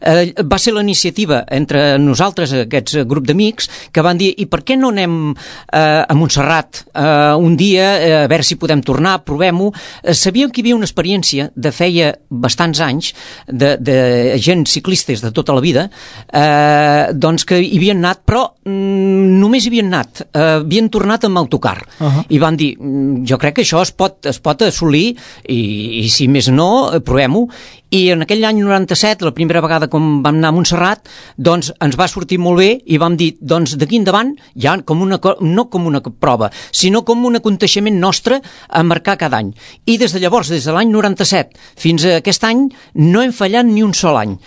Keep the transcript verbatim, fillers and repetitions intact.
eh, va ser la iniciativa entre nosaltres, aquests grup d'amics, que van dir, i per què no anem eh, a Montserrat eh, un dia, eh, a veure si podem tornar, provem-ho. Eh, sabíem que hi havia una experiència de feia bastants anys de, de gent ciclistes de tota la vida, eh, doncs que hi havien anat, però mm, només hi havien anat, eh, havien tornat amb autocar. Uh-huh. I van dir, jo crec que això es pot, es pot assolir i, i si més no, provem-ho. I en aquell any noranta-set, la primera vegada com vam anar a Montserrat, doncs ens va sortir molt bé i vam dir, doncs d'aquí endavant, ja com una, no com una prova, sinó com un aconteixement nostre a marcar cada any. I des de llavors, des de l'any noranta-set fins a aquest any, no hem fallat ni un sol any.